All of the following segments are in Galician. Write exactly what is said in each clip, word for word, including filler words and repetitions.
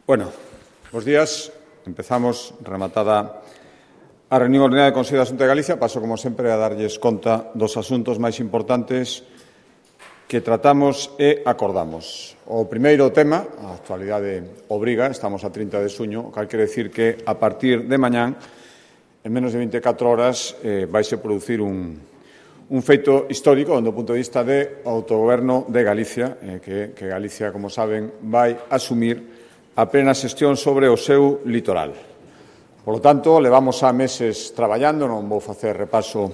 Bueno, bos días. Empezamos rematada a reunión ordinaria do Consello da Xunta de Galicia. Paso, como sempre, a darlles conta dos asuntos máis importantes que tratamos e acordamos. O primeiro tema, a actualidade obriga, estamos a trinta de xuño, o cal quere decir que a partir de mañán, en menos de veinticatro horas, eh, vaise producir un, un feito histórico do punto de vista de autogoberno de Galicia, eh, que, que Galicia, como saben, vai asumir a plena xestión sobre o seu litoral. Por lo tanto, levamos a meses traballando, non vou facer repaso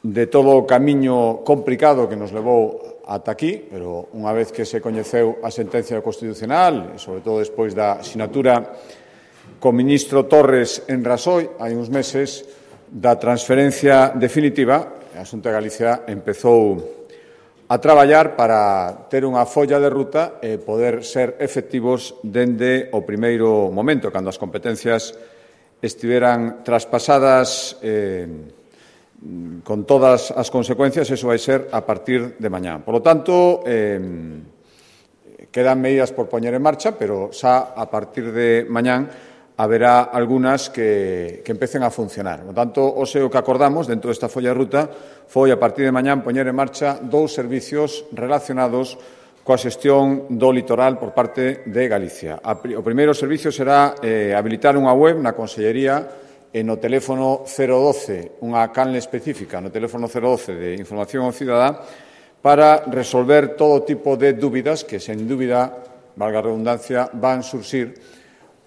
de todo o camiño complicado que nos levou ata aquí, pero unha vez que se coñeceu a sentencia constitucional, e sobre todo despois da sinatura co ministro Torres en Rasoi, hai uns meses, da transferencia definitiva, a Xunta de Galicia empezou a traballar para ter unha folla de ruta e poder ser efectivos dende o primeiro momento, cando as competencias estiveran traspasadas eh, con todas as consecuencias. Eso vai ser a partir de mañá. Por lo tanto, eh, quedan medidas por poñer en marcha, pero xa a partir de mañán haberá algunhas que, que empecen a funcionar. Por tanto, o seu que acordamos dentro desta folla de ruta foi a partir de mañán poñer en marcha dous servicios relacionados coa xestión do litoral por parte de Galicia. O primeiro servicio será eh, habilitar unha web na Consellería e no teléfono cero doce, unha canle específica no teléfono cero doce de Información ao Cidadá, para resolver todo tipo de dúbidas que, sen dúbida, valga a redundancia, van surxir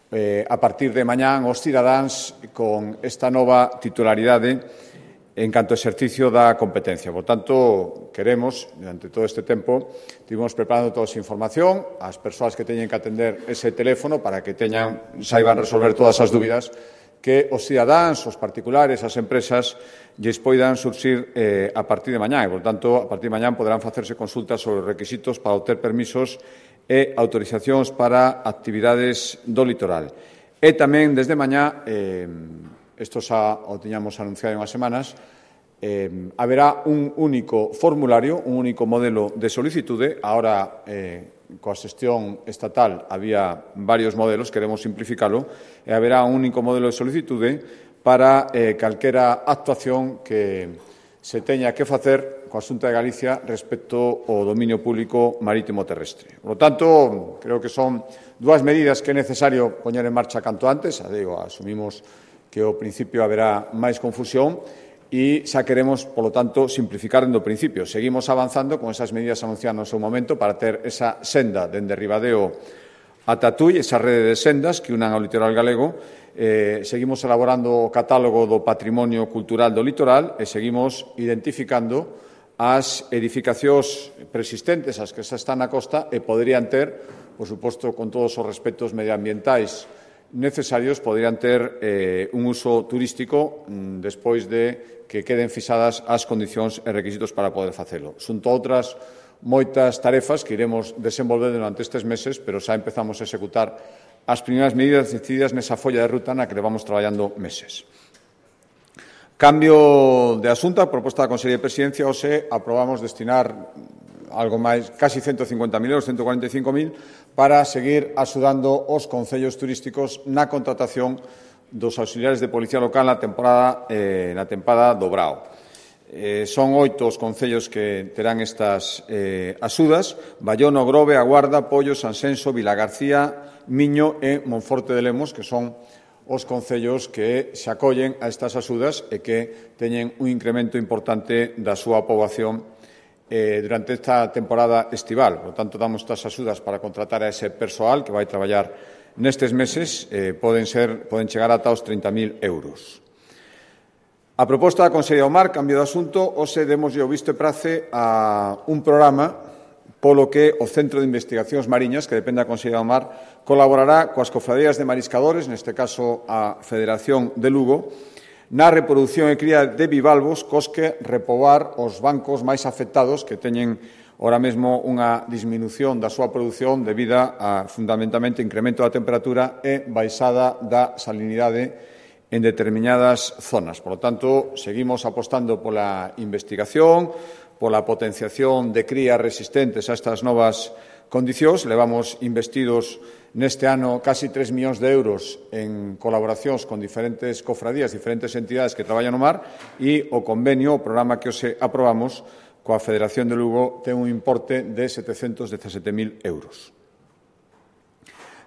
Eh, a partir de mañán os cidadáns con esta nova titularidade en canto ao exercicio da competencia. Por tanto, queremos, durante todo este tempo, estivemos preparando toda esa información, as persoas que teñen que atender ese teléfono para que teñan, saiban resolver todas as dúbidas que os cidadáns, os particulares, as empresas, lles poidan surxir eh, a partir de mañán. E, por tanto, a partir de mañán poderán facerse consultas sobre os requisitos para obter permisos e autorizacións para actividades do litoral. E tamén, desde mañá, eh, isto xa o tiñamos anunciado en unhas semanas, eh, haberá un único formulario, un único modelo de solicitude. Ahora, eh, coa xestión estatal, había varios modelos, queremos simplificalo, e haberá un único modelo de solicitude para eh, calquera actuación que se teña que facer coa Xunta de Galicia respecto ao dominio público marítimo terrestre. Por lo tanto, creo que son dúas medidas que é necesario poñer en marcha canto antes. A digo, asumimos que ao principio haberá máis confusión e xa queremos, por lo tanto, simplificar dende o principio. Seguimos avanzando con esas medidas anunciadas no seu momento para ter esa senda dende Ribadeo ata Tui, esa rede de sendas que unan ao litoral galego. Eh, seguimos elaborando o catálogo do patrimonio cultural do litoral e seguimos identificando as edificacións persistentes, as que xa están na costa e poderían ter, por suposto, con todos os respectos medioambientais necesarios, poderían ter eh, un uso turístico mm, despois de que queden fixadas as condicións e requisitos para poder facelo. Xunto a outras moitas tarefas que iremos desenvolver durante estes meses, pero xa empezamos a executar as primeiras medidas decididas nesa folla de ruta na que levamos traballando meses. Cambio de asunto, a proposta da Consellería de Presidencia, hoxe aprobamos destinar algo máis, casi ciento cincuenta mil euros, ciento cuarenta e cinco mil, para seguir axudando os concellos turísticos na contratación dos auxiliares de Policía Local na temporada, eh, na tempada do Brao. Eh, son oito os concellos que terán estas eh, axudas: Bayona, Grove, A Guarda, Pollo, Sanxenxo, Vilagarcía, Miño e Monforte de Lemos, que son os concellos que se acollen a estas axudas e que teñen un incremento importante da súa poboación eh, durante esta temporada estival. Por tanto, damos estas axudas para contratar a ese persoal que vai traballar nestes meses. Eh, poden, ser, poden chegar ata os trinta mil euros. A proposta da Consellería do Mar, cambio de asunto, hoxe demoslle o visto e prace a un programa polo que o Centro de Investigacións Mariñas, que depende da Consellería do Mar, colaborará coas cofradías de mariscadores, neste caso a Federación de Lugo, na reproducción e cría de bivalvos, cos que repobar os bancos máis afectados que teñen ora mesmo unha disminución da súa produción debido a, fundamentalmente, incremento da temperatura e baixada da salinidade en determinadas zonas. Por lo tanto, seguimos apostando pola investigación, pola potenciación de crías resistentes a estas novas condicións. Levamos investidos neste ano casi tres millóns de euros en colaboracións con diferentes cofradías, diferentes entidades que traballan no mar, e o convenio, o programa que hoxe aprobamos coa Federación de Lugo ten un importe de setecentos dezasete mil euros.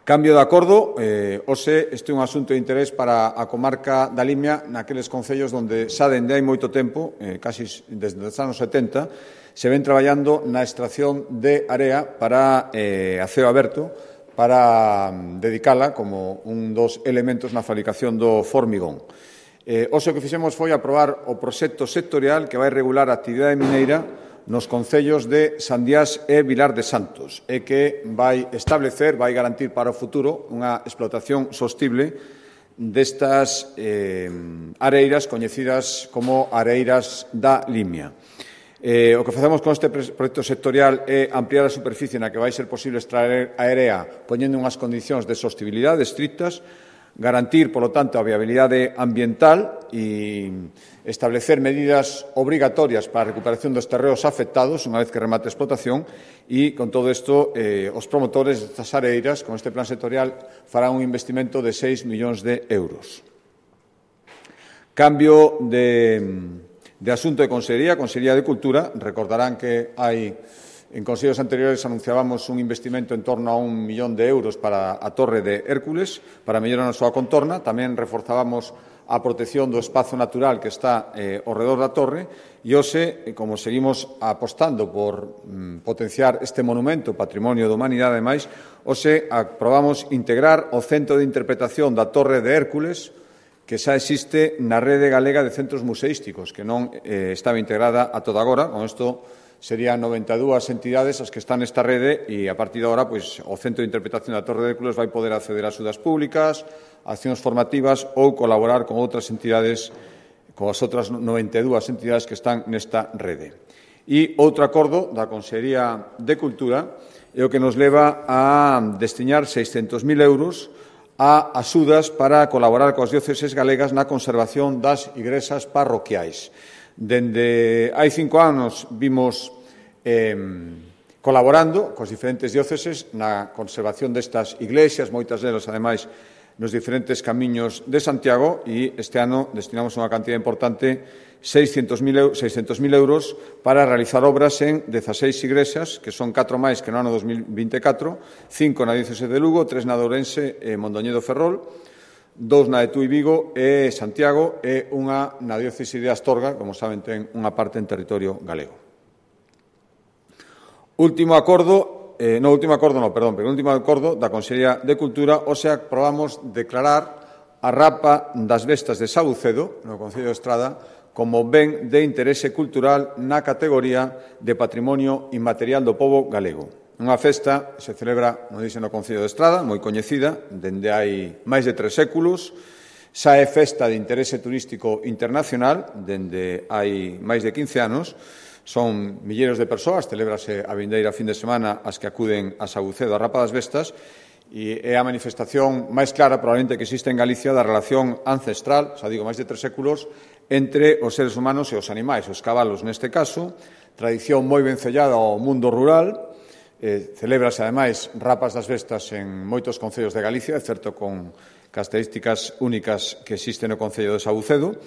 Cambio de acordo, eh, hoxe este é un asunto de interés para a comarca da Limia, naqueles concellos onde xa dende hai moito tempo, eh, casi desde os anos setenta, se ven traballando na extracción de area para eh, a ceo aberto, para dedicala como un dos elementos na fabricación do formigón. Eh, hoxe o que fixemos foi aprobar o proxecto sectorial que vai regular a actividade mineira nos concellos de Sandiás e Vilar de Santos e que vai establecer, vai garantir para o futuro unha explotación sostible destas eh, areiras coñecidas como areiras da Limia. Eh, o que facemos con este proxecto sectorial é ampliar a superficie na que vai ser posible extraer a area poñendo unhas condicións de sostibilidade estrictas, garantir, polo tanto, a viabilidade ambiental e establecer medidas obrigatorias para a recuperación dos terreos afectados unha vez que remate a explotación e, con todo isto, eh, os promotores destas areiras, con este plan sectorial, farán un investimento de seis millóns de euros. Cambio de... De asunto de Consellería, Consellería de Cultura, recordarán que hai, en consellos anteriores anunciábamos un investimento en torno a un millón de euros para a Torre de Hércules, para mellorar a súa contorna. Tamén reforzábamos a protección do espazo natural que está eh, ao redor da torre e hoxe, como seguimos apostando por mm, potenciar este monumento, patrimonio da humanidade, ademais, hoxe aprobamos integrar o Centro de Interpretación da Torre de Hércules, que xa existe na rede galega de centros museísticos, que non eh, estaba integrada a toda agora. Con isto serían noventa e dúas entidades as que están nesta rede e, a partir de agora, pois, o Centro de Interpretación da Torre de Hércules vai poder acceder a axudas públicas, accións formativas ou colaborar con outras entidades, con as outras noventa e dúas entidades que están nesta rede. E outro acordo da Consellería de Cultura é o que nos leva a destinar seiscentos mil euros a axudas para colaborar coas dióceses galegas na conservación das igrexas parroquiais. Dende hai cinco anos vimos eh, colaborando cos diferentes dióceses na conservación destas iglexas, moitas delas, ademais, nos diferentes camiños de Santiago, e este ano destinamos unha cantidad importante, seiscentos mil euros, para realizar obras en dezaseis igrexas, que son catro máis que no ano dos mil vinte e catro, cinco na diócese de Lugo, tres na de Ourense e Mondoñedo Ferrol, dous na de Tui Vigo e Santiago e unha na diócese de Astorga, como saben, ten unha parte en territorio galego. Último acordo, eh, no último acordo, no, perdón, pero último acordo da Consellería de Cultura, o sea, aprobamos declarar a Rapa das Vestas de Sabucedo, no Concello de Estrada, como ben de interese cultural na categoría de Patrimonio Inmaterial do Pobo Galego. Unha festa que se celebra, non dixen, no Concello de Estrada, moi coñecida, dende hai máis de tres séculos. Xa é festa de interese turístico internacional, dende hai máis de quince anos. Son milleiros de persoas, celébrase a vindeira fin de semana as que acuden a Sabucedo, a Rapa das Vestas, e é a manifestación máis clara, probablemente, que existe en Galicia da relación ancestral, xa digo, máis de tres séculos, entre os seres humanos e os animais, os cabalos neste caso, tradición moi vencellada ao mundo rural, eh, celébrase, ademais, Rapas das Vestas en moitos concellos de Galicia, excepto con características únicas que existen no Concello de Sabucedo.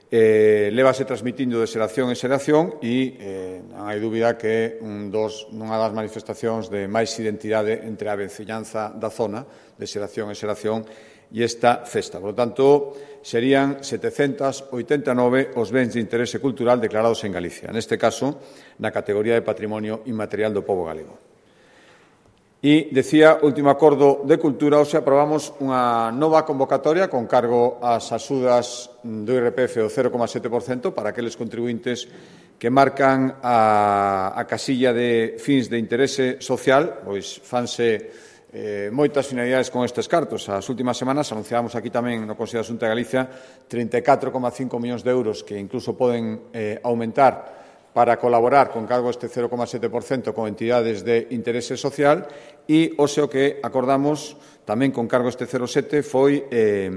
Eh, lévase transmitindo de xeración en xeración e eh, non hai dúbida que un dos, unha das manifestacións de máis identidade entre a veciñanza da zona, de xeración en xeración, e esta festa. Por lo tanto, serían setecentos oitenta e nove os bens de interese cultural declarados en Galicia, neste caso, na categoría de Patrimonio Inmaterial do Pobo Galego. E, decía, último acordo de cultura, hoxe aprobamos unha nova convocatoria con cargo ás axudas do I R P F do cero coma sete por cento para aqueles contribuintes que marcan a, a casilla de fins de interese social, pois fanse eh, moitas finalidades con estes cartos. As últimas semanas anunciábamos aquí tamén no Consello da Xunta de Galicia trinta e catro coma cinco millóns de euros que incluso poden eh, aumentar para colaborar con cargo este cero coma sete por cento con entidades de interese social e hoxe o que acordamos tamén con cargo este cero coma sete foi eh,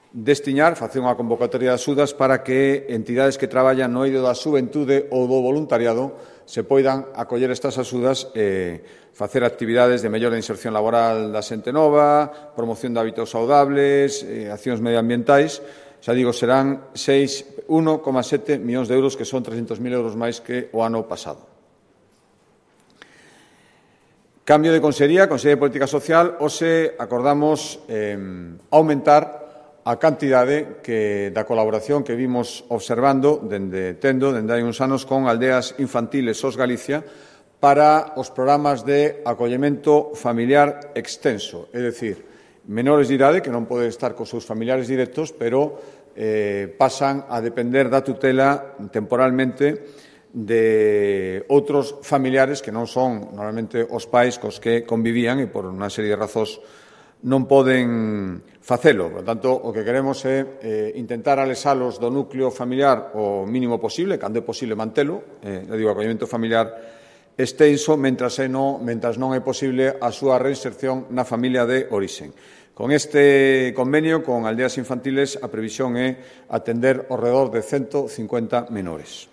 destinar, facer unha convocatoria de axudas para que entidades que traballan no eido da xuventude ou do voluntariado se poidan acoller estas axudas e facer actividades de mellora de inserción laboral da xente nova, promoción de hábitos saudables, eh, accións medioambientais. Xa digo, serán un coma sete millóns de euros, que son trescentos mil euros máis que o ano pasado. Cambio de Consellería, Consellería de Política Social, hoxe acordamos eh, aumentar a cantidade que, da colaboración que vimos observando dende Tendo, dende hai uns anos, con aldeas infantiles S O S Galicia para os programas de acollemento familiar extenso, é dicir, menores de idade que non poden estar cos seus familiares directos, pero eh, pasan a depender da tutela temporalmente de outros familiares que non son normalmente os pais cos que convivían e por unha serie de razóns non poden facelo. Por tanto, o que queremos é eh, intentar alexalos do núcleo familiar o mínimo posible, cando é posible mantelo, eh, eu digo, acollemento familiar extenso, mentras, no, mentras non é posible a súa reinserción na familia de orixen. Con este convenio con aldeas infantiles, a previsión é atender ao redor de ciento cincuenta menores.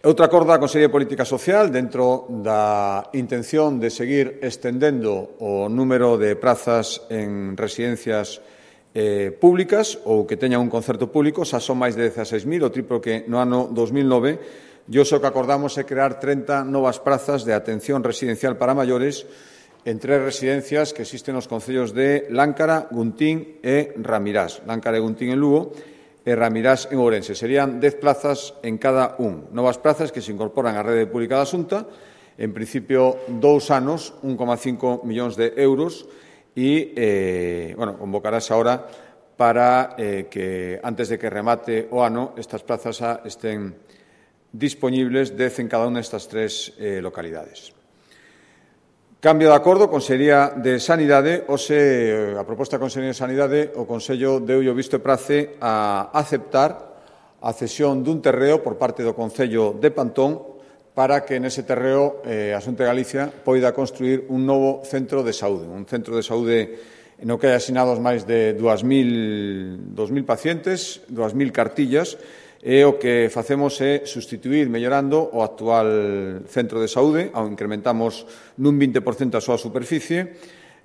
Outra acorda a Consellería de Política Social, dentro da intención de seguir estendendo o número de prazas en residencias eh, públicas ou que teñan un concerto público, xa son máis de dezaseis mil, o triplo que no ano dos mil nove, e o que acordamos é crear trinta novas prazas de atención residencial para maiores en tres residencias que existen nos concellos de Láncara, Guntín e Ramirás. Láncara e Guntín en Lugo, e Ramirás en Ourense. Serían dez plazas en cada un. Novas plazas que se incorporan á rede pública da Xunta, en principio dous anos, un coma cinco millóns de euros, e, eh, bueno, convocarase ahora para eh, que, antes de que remate o ano, estas plazas estén disponibles, dez en cada unha destas tres eh, localidades. Cambio de acordo, Consellería de Sanidade. Hoxe, a proposta da Consellería de Sanidade, o Consello deu o visto e prace a aceptar a cesión dun terreo por parte do Concello de Pantón para que nese terreo eh, a Xunta de Galicia poida construir un novo centro de saúde, un centro de saúde no que hai asinados máis de dúas mil pacientes, dúas mil cartillas, e o que facemos é sustituir, mellorando o actual centro de saúde, ao incrementamos nun vinte por cento a súa superficie,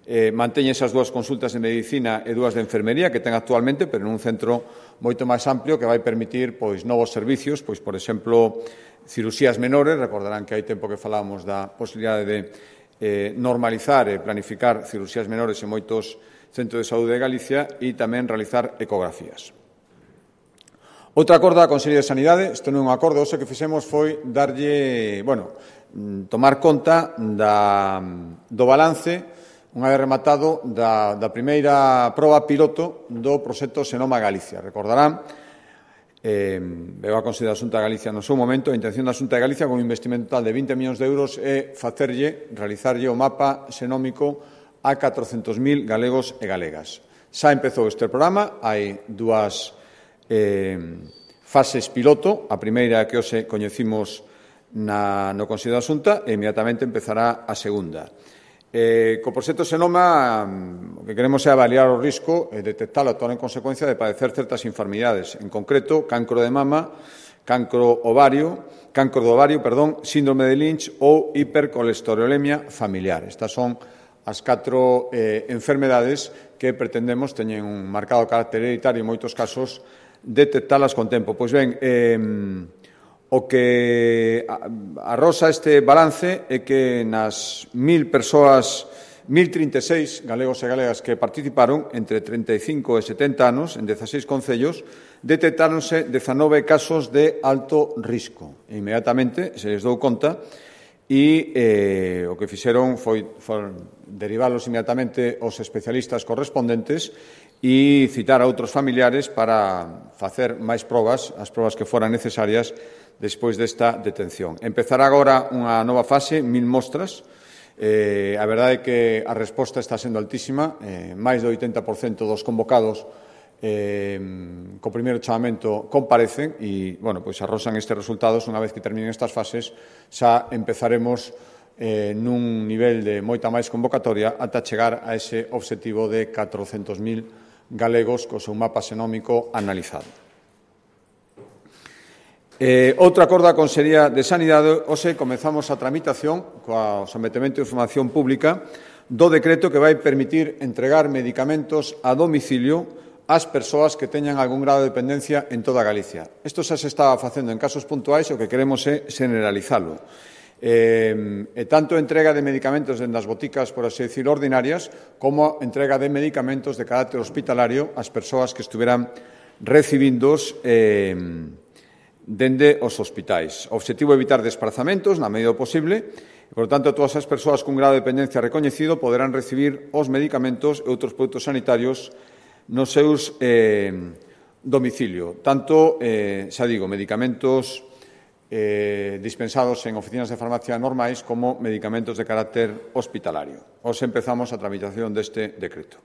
eh, manteñe esas dúas consultas de medicina e dúas de enfermería que ten actualmente, pero nun centro moito máis amplio que vai permitir pois novos servicios, pois por exemplo, cirurxías menores. Recordarán que hai tempo que falábamos da posibilidade de eh, normalizar e planificar cirurxías menores en moitos centros de saúde de Galicia e tamén realizar ecografías. Outra acordo da Consellería de Sanidade, isto non é un acordo, o que fixemos foi darlle, bueno, tomar conta da, do balance, unha vez rematado, da, da primeira proba piloto do proxecto Senoma Galicia. Recordarán, eh, veo a Consellería da Xunta de Galicia no seu momento, a intención da Xunta de Galicia con un investimento total de vinte millóns de euros é facerlle, realizarlle o mapa xenómico a catrocentos mil galegos e galegas. Xa empezou este programa, hai dúas Eh, fases piloto. A primeira que hoxe coñecimos na, no Consello da Xunta e inmediatamente empezará a segunda. Eh, co proxecto Senoma, o que queremos é avaliar o risco e detectar o actuar en consecuencia de padecer certas enfermidades, en concreto cancro de mama, cancro ovario, cancro do ovario, perdón, síndrome de Lynch ou hipercolesterolemia familiar. Estas son as catro eh, enfermedades que pretendemos teñen un marcado carácter hereditario en moitos casos, detectalas con tempo. Pois ben, eh, o que arrosa este balance é que nas mil persoas, mil trinta e seis galegos e galegas que participaron entre trinta e cinco e setenta anos en dezaseis concellos, detectáronse dezanove casos de alto risco. E inmediatamente se les dou conta e eh, o que fixeron foi, foi derivalos inmediatamente aos especialistas correspondentes e citar a outros familiares para facer máis probas, as probas que foran necesarias despois desta detención. Empezará agora unha nova fase, mil mostras. Eh, a verdade é que a resposta está sendo altísima. Eh, máis do oitenta por cento dos convocados eh, co primeiro chamamento comparecen e, bueno, pois arrosan estes resultados. Unha vez que terminen estas fases, xa empezaremos eh, nun nivel de moita máis convocatoria ata chegar a ese obxectivo de catrocentos mil galegos co seu mapa xenómico analizado. Eh, outro acordo da Consellería de Sanidade, hoxe comezamos a tramitación coa sometemento de información pública do decreto que vai permitir entregar medicamentos a domicilio ás persoas que teñan algún grado de dependencia en toda Galicia. Isto xa se estaba facendo en casos puntuais, o que queremos é generalizalo. Eh, e tanto entrega de medicamentos dende as boticas, por así decir, ordinarias, como entrega de medicamentos de carácter hospitalario ás persoas que estuveran recibidos eh, dende os hospitais. O obxectivo é evitar desplazamentos na medida posible e, por tanto, todas as persoas cun grado de dependencia recoñecido poderán recibir os medicamentos e outros produtos sanitarios nos seus eh, domicilio. Tanto, eh, xa digo, medicamentos Eh, dispensados en oficinas de farmacia normais como medicamentos de carácter hospitalario. Hoxe empezamos a tramitación deste decreto.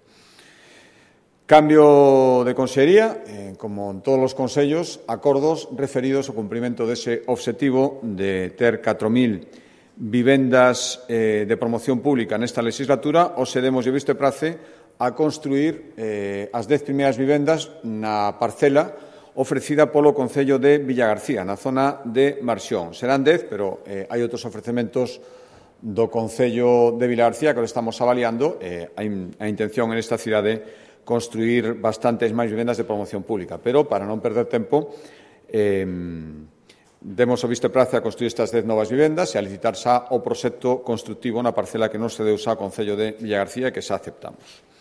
Cambio de consellería, eh, como en todos os consellos, acordos referidos ao cumprimento dese obxectivo de ter catro mil vivendas eh, de promoción pública nesta legislatura. Hoxe demos de visto e prace a construir eh, as dez primeiras vivendas na parcela ofrecida polo Concello de Villagarcía, na zona de Marxón. Serán dez, pero eh, hai outros ofrecementos do Concello de Villagarcía que lo estamos avaliando. Eh, hai a intención en esta cidade construir bastantes máis vivendas de promoción pública, pero para non perder tempo, eh, demos o visto e prace a construir estas dez novas vivendas e a licitar xa o proxecto constructivo na parcela que non se deu xa ao Concello de Villagarcía e que xa aceptamos.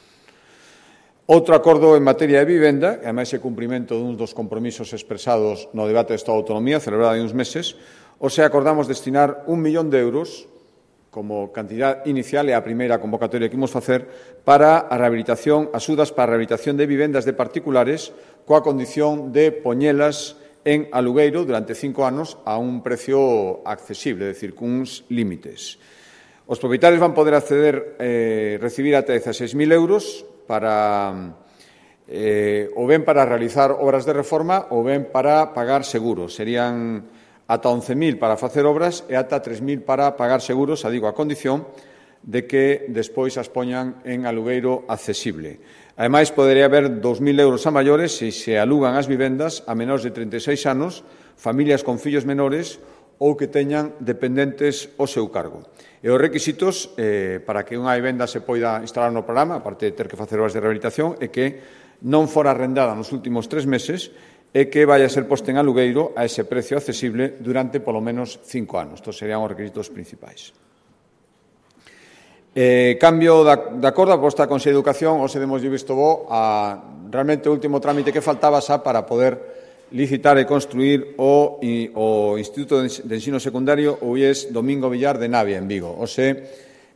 Outro acordo en materia de vivenda, que ademais é cumprimento dun dos compromisos expresados no debate de Estado de Autonomía, celebrado hai uns meses, hoxe acordamos destinar un millón de euros como cantidad inicial e a primeira convocatoria que imos facer para a rehabilitación, axudas para a rehabilitación de vivendas de particulares coa condición de poñelas en alugueiro durante cinco anos a un precio accesible, é dicir, cuns límites. Os propietarios van poder acceder, eh, recibir ata dezaseis mil euros para eh, ou ben para realizar obras de reforma ou ben para pagar seguros. Serían ata once mil para facer obras e ata tres mil para pagar seguros, a digo, a condición de que despois as poñan en alugueiro accesible. Ademais, podería haber dos mil euros a maiores se se alugan as vivendas a menores de trinta e seis anos, familias con fillos menores ou que teñan dependentes ao seu cargo. E os requisitos eh, para que unha vivenda se poida instalar no programa, aparte de ter que facer obras de rehabilitación, é que non fora arrendada nos últimos tres meses e que vai a ser posta en alugueiro a ese precio accesible durante polo menos cinco anos. Estos serían os requisitos principais. Eh, cambio da, de acordo a proposta da Consellería de Educación, hoxe demos visto bo a realmente o último trámite que faltaba xa para poder licitar e construir o, o Instituto de Ensino Secundario o I E S Domingo Villar de Navia, en Vigo. Ose,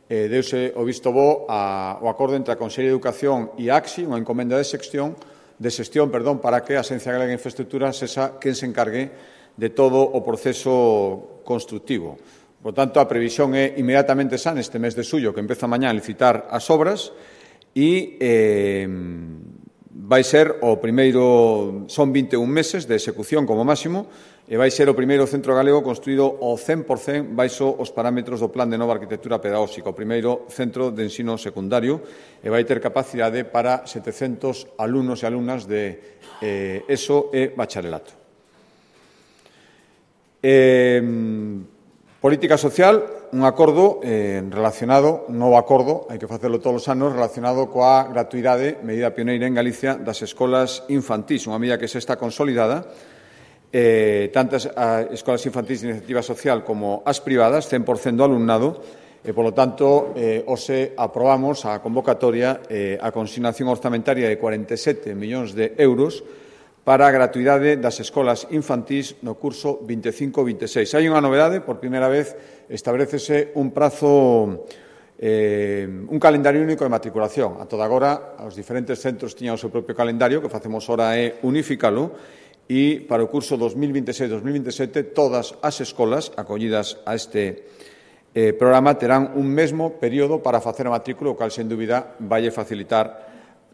eh, deuse o visto bo a, o acordo entre a Consellería de Educación e a AXI, unha encomenda de xestión, de xestión perdón, para que a Axencia Galega de Infraestructuras sexa quen se encargue de todo o proceso constructivo. Por tanto, a previsión é inmediatamente xa neste mes de xullo, que empeza mañá a licitar as obras e eh, vai ser o primeiro, son vinte e un meses de execución como máximo, e vai ser o primeiro centro galego construído ao cen por cen baixo os parámetros do Plan de Nova Arquitectura Pedagóxica, o primeiro centro de ensino secundario, e vai ter capacidade para setecentos alumnos e alumnas de eh, ESO e bacharelato. Eh, política social, un acordo eh, relacionado, un novo acordo, hai que facelo todos os anos, relacionado coa gratuidade, medida pioneira en Galicia, das escolas infantís, unha medida que se está consolidada, eh, tantas as escolas infantís de iniciativa social como as privadas, cen por cen do alumnado, e, polo tanto, eh, hoxe aprobamos a convocatoria eh, a consignación orzamentaria de cuarenta e sete millóns de euros para a gratuidade das escolas infantís no curso vinte e cinco vinte e seis. Hai unha novedade, por primeira vez establecese un prazo, eh, un calendario único de matriculación. A toda agora, os diferentes centros tiñan o seu propio calendario, que facemos ora é unificalo, e para o curso dos mil vinte e seis dos mil vinte e sete todas as escolas acollidas a este eh, programa terán un mesmo período para facer a matrícula, o cal, sen dúbida, vai facilitar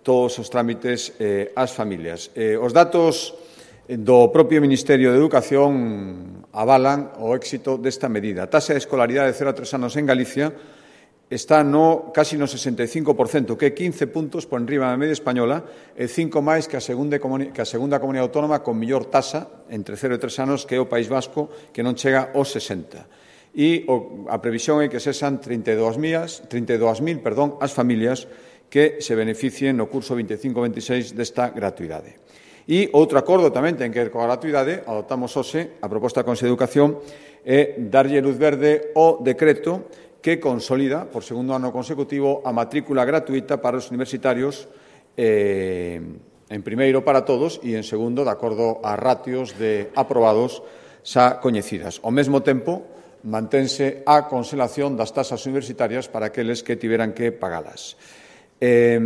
todos os trámites eh, ás familias. Eh, os datos do propio Ministerio de Educación avalan o éxito desta medida. A taxa de escolaridade de cero a tres anos en Galicia está no casi no sesenta e cinco por cento, que é quince puntos por enriba da media española e cinco máis que a segunda, que a segunda comunidade autónoma con mellor tasa entre cero e tres anos, que é o País Vasco, que non chega aos sesenta. E o, a previsión é que sexan trinta e dous mil perdón, as familias que se beneficien no curso vinte e cinco veintiséis desta gratuidade. E outro acordo tamén ten que ver coa gratuidade, adoptamos hoxe a proposta da Consellería de Educación, é darlle luz verde ao decreto que consolida, por segundo ano consecutivo, a matrícula gratuita para os universitarios, eh, en primeiro para todos e en segundo, de acordo a ratios de aprobados xa coñecidas. Ao mesmo tempo, mantense a conselación das tasas universitarias para aqueles que tiveran que pagalas. Eh,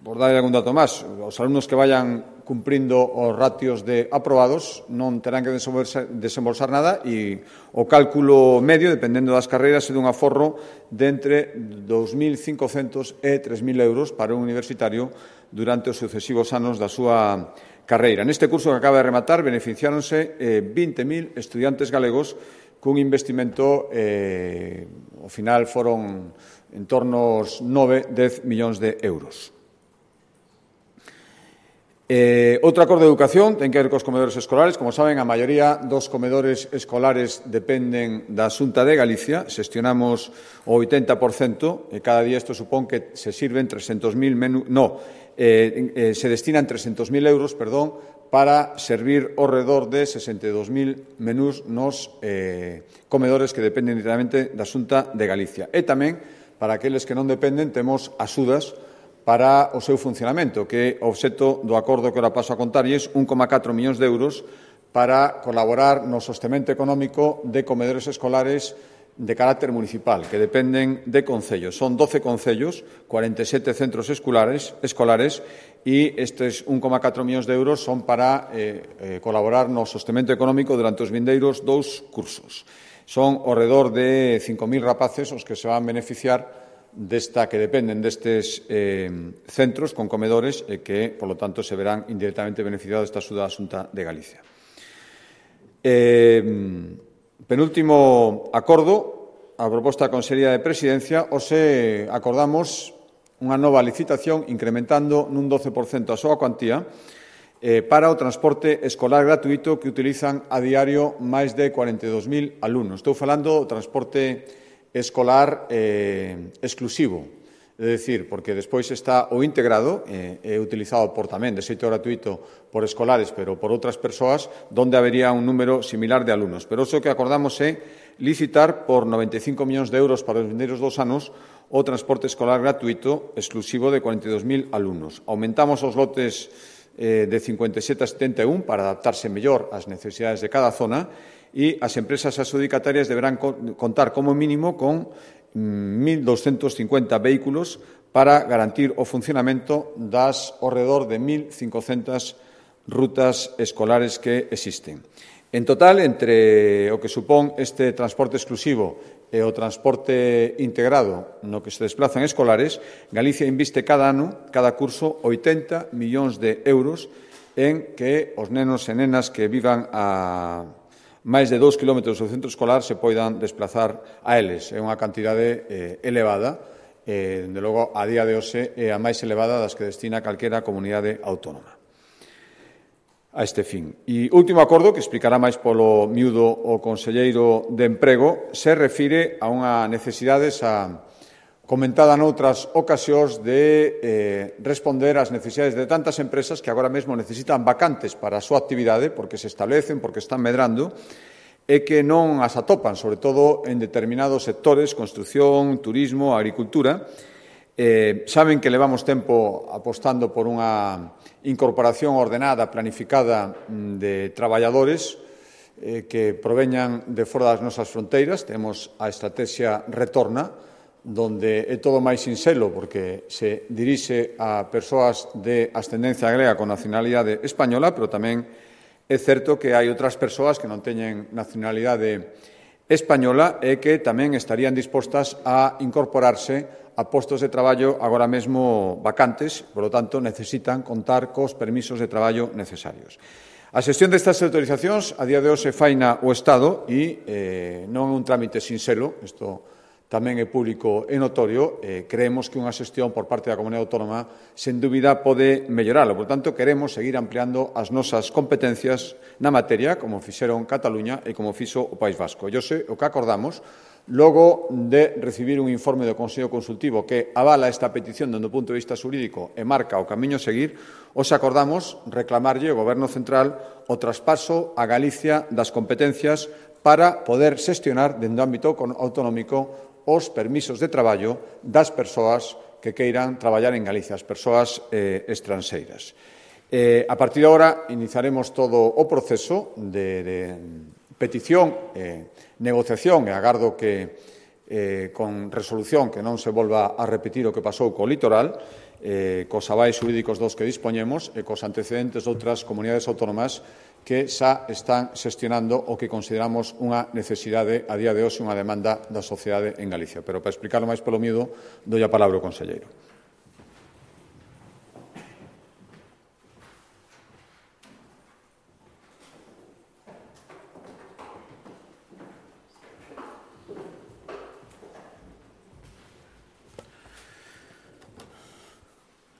por darle algún dato máis, os alumnos que vayan cumprindo os ratios de aprobados non terán que desembolsar, desembolsar nada e o cálculo medio, dependendo das carreiras, é dun aforro de entre dous mil cincocentos e tres mil euros para un universitario durante os sucesivos anos da súa carreira. Neste curso que acaba de rematar, beneficiáronse eh, vinte mil estudiantes galegos cun investimento, eh, ao final foron en torno aos nove, dez millóns de euros. Eh, outro acordo de educación ten que ver cos comedores escolares. Como saben, a maioría dos comedores escolares dependen da Xunta de Galicia. Xestionamos o oitenta por cento e cada día isto supón que se sirven trescentos mil menús, no, eh, eh, se destinan trescentos mil euros, perdón, para servir ao redor de sesenta e dous mil menús nos eh, comedores que dependen directamente da Xunta de Galicia. E tamén, para aqueles que non dependen, temos axudas para o seu funcionamento, que é o obxecto do acordo que ora paso a contarlles, un coma catro millóns de euros para colaborar no sostemento económico de comedores escolares de carácter municipal, que dependen de concellos. Son doce concellos, cuarenta e sete centros escolares, escolares e estes un coma catro millóns de euros son para eh, eh, colaborar no sostemento económico durante os vindeiros dous cursos. Son ao redor de cinco mil rapaces os que se van beneficiar desta que dependen destes eh, centros con comedores e que, polo tanto, se verán indirectamente beneficiados desta axuda da Xunta de Galicia. Eh, penúltimo acordo, a proposta da Consellería de Presidencia, hoxe acordamos unha nova licitación incrementando nun doce por cento a súa cuantía eh, para o transporte escolar gratuito que utilizan a diario máis de cuarenta e dous mil alumnos. Estou falando do transporte escolar eh, exclusivo, é dicir, porque despois está o integrado, eh, é utilizado por tamén de xeito gratuito por escolares, pero por outras persoas, donde habería un número similar de alumnos. Pero o que acordamos é licitar por noventa e cinco millóns de euros para os vindeiros dos anos o transporte escolar gratuito exclusivo de cuarenta e dous mil alumnos. Aumentamos os lotes eh, de cincuenta e sete a setenta e un para adaptarse mellor ás necesidades de cada zona e as empresas adxudicatarias deberán contar como mínimo con mil doscentos cincuenta vehículos para garantir o funcionamento das ao redor de mil cincocentas rutas escolares que existen. En total, entre o que supón este transporte exclusivo e o transporte integrado no que se desplazan escolares, Galicia inviste cada ano, cada curso, oitenta millóns de euros en que os nenos e nenas que vivan a máis de dous kilómetros do centro escolar se poidan desplazar a eles. É unha cantidade eh, elevada, eh, dende logo, a día de hoxe, é a máis elevada das que destina calquera comunidade autónoma a este fin. E último acordo, que explicará máis polo miúdo o conselleiro de Emprego, se refire a unha necesidade xa comentada noutras ocasións de eh, responder ás necesidades de tantas empresas que agora mesmo necesitan vacantes para a súa actividade porque se establecen, porque están medrando e que non as atopan, sobre todo en determinados sectores, construción, turismo, agricultura. Eh, saben que levamos tempo apostando por unha incorporación ordenada, planificada de traballadores eh, que proveñan de fora das nosas fronteiras. Temos a estrategia Retorna, donde é todo máis sinxelo porque se dirixe a persoas de ascendencia galega con nacionalidade española, pero tamén é certo que hai outras persoas que non teñen nacionalidade española e que tamén estarían dispostas a incorporarse a postos de traballo agora mesmo vacantes, por lo tanto, necesitan contar cos permisos de traballo necesarios. A xestión destas autorizacións a día de hoxe faina o Estado e eh, non é un trámite sinxelo, isto tamén é público e notorio, eh, creemos que unha xestión por parte da Comunidade Autónoma sen dúbida pode melloralo. Por tanto, queremos seguir ampliando as nosas competencias na materia, como fixeron Cataluña e como fixo o País Vasco. E hoxe o que acordamos, logo de recibir un informe do Consello Consultivo que avala esta petición dende o punto de vista xurídico e marca o camiño a seguir, os acordamos reclamarlle ao Goberno Central o traspaso a Galicia das competencias para poder xestionar dende o ámbito autonómico os permisos de traballo das persoas que queiran traballar en Galicia, as persoas eh, estranxeiras. Eh, a partir de agora, iniciaremos todo o proceso de, de petición, eh, negociación, e agardo que eh, con resolución que non se volva a repetir o que pasou co litoral, eh, cos avais xurídicos dos que dispoñemos e cos antecedentes de outras comunidades autónomas que xa están xestionando o que consideramos unha necesidade a día de hoxe, unha demanda da sociedade en Galicia. Pero para explicarlo máis polo miúdo, doi a palabra ao conselleiro.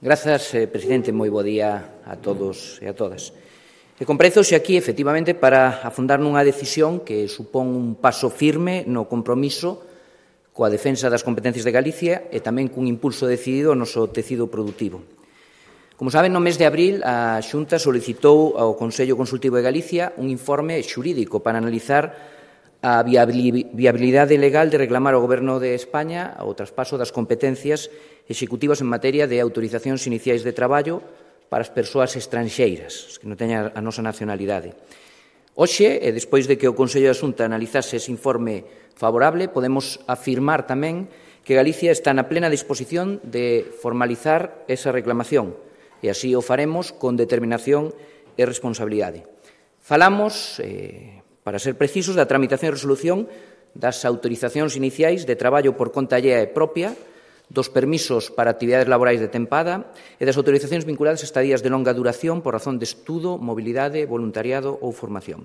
Grazas, eh, presidente. Moi bo día a todos e a todas. E comprezoxe aquí, efectivamente, para afondar nunha decisión que supón un paso firme no compromiso coa defensa das competencias de Galicia e tamén cun impulso decidido ao noso tecido produtivo. Como saben, no mes de abril, a Xunta solicitou ao Consello Consultivo de Galicia un informe xurídico para analizar a viabilidade legal de reclamar ao Goberno de España o traspaso das competencias executivas en materia de autorizacións iniciais de traballo para as persoas estranxeiras, que non teñan a nosa nacionalidade. Hoxe, e despois de que o Consello da Xunta analizase ese informe favorable, podemos afirmar tamén que Galicia está na plena disposición de formalizar esa reclamación, e así o faremos con determinación e responsabilidade. Falamos, eh, para ser precisos, da tramitación e resolución das autorizacións iniciais de traballo por conta allea e propia, dos permisos para actividades laborais de tempada e das autorizacións vinculadas a estadías de longa duración por razón de estudo, mobilidade, voluntariado ou formación.